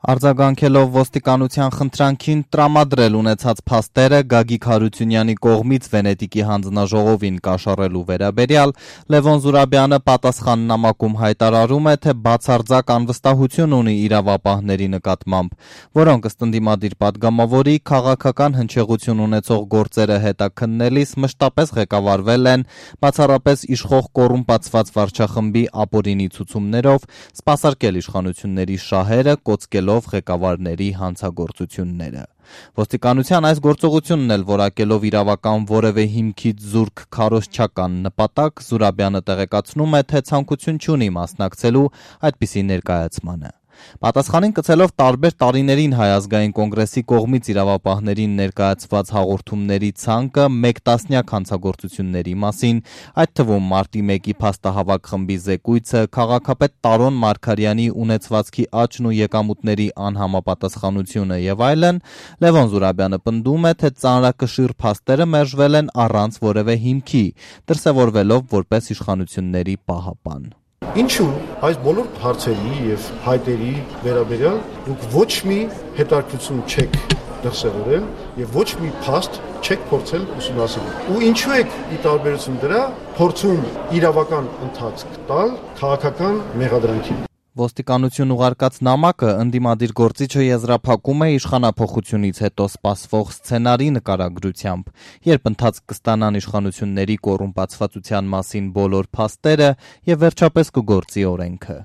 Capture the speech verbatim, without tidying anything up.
Արձագանքելով ոստիկանության խնդրանքին տրամադրել ունեցած փաստերը Գագիկ Հարությունյանի կողմից Վենետիկի հանձնաժողովին կաշառելու վերաբերյալ Լևոն Զուրաբյանը պատասխաննամակում հայտարարում է, թե բացարձակ անվստահություն ունի իրավապահների նկատմամբ, որոնք ըստ ընդդիմադիր պատգամավորի քաղաքական հնչեղություն ունեցող գործերը հետաքննելիս մշտապես ղեկավարվել են բացառապես իշխող կոռումպացված վարչախմբի ապօրինի ցուցումներով, սպասարկել իշխանությունների շահերը, կոծկելով ղեկավարների հանցագործությունները։ Ոստիկանության այս գործողությունն էլ որակելով իրավական որևէ հիմքից զուրկ քարոզչական նպատակ, Զուրաբյանը տեղեկացնում է, թե ցանկություն չունի մասնակցելու այդպիսի ներկայացմանը։ Պատասխանին կցելով տարբեր տարիներին Հայ ազգային կոնգրեսի կողմից իրավապահներին ներկայացված հաղորդումների ցանկը մեկ տասնյակ հանցագործությունների մասին, այդ թվում մարտի մեկի փաստահավաք խմբի զեկույցը, քաղաքապետ Տարոն Մարգարյանի ունեցվածքի աճն ու եկամուտների անհամապատասխանությունը եւ այլն, Լևոն Զուրաբյանը պնդում է, թե ծանրակշիռ փաստերը մերժվել են առանց որևէ հիմքի, դրսևորվելով որպես իշխանությունների պահապան։ Ինչու այս բոլոր հարցերի եւ հայտերի վերաբերյալ դուք ոչ մի հետաքրքրություն չեք դրսևորել եւ ոչ մի փաստ չեք փորձել ուսումնասիրել։ Ու ինչու եք ի տարբերություն դրա փորձում իրավական ընթացք տալ քաղաքական մեղադրանքին։ Ոստիկանություն ուղարկած նամակը ընդդիմադիր գործիչը եզրափակում է իշխանափոխությունից հետո սպասվող սցենարի նկարագրությամբ, երբ ընթացք կստանան իշխանությունների կոռումպացվածության մասին բոլոր փաստերը եւ վերջապես կգործի օրենքը։